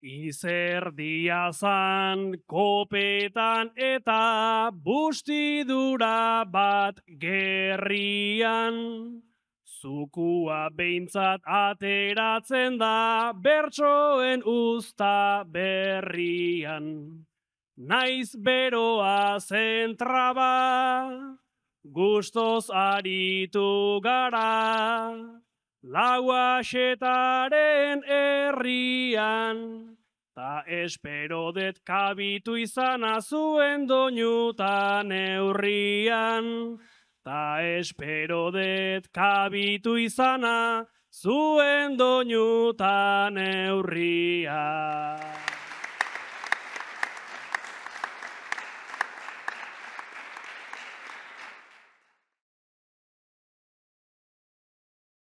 Izerdia zan kopetan eta bustidura bat gerrian. Zukua behintzat ateratzen da bertsoen usta berrian. Naiz beroa zentraba, gustoz aritu gara, lauaxetaren herrian, ta espero det kabitu izana zuen doinutan neurrian, ta espero det kabitu izana zuen doinutan neurrian.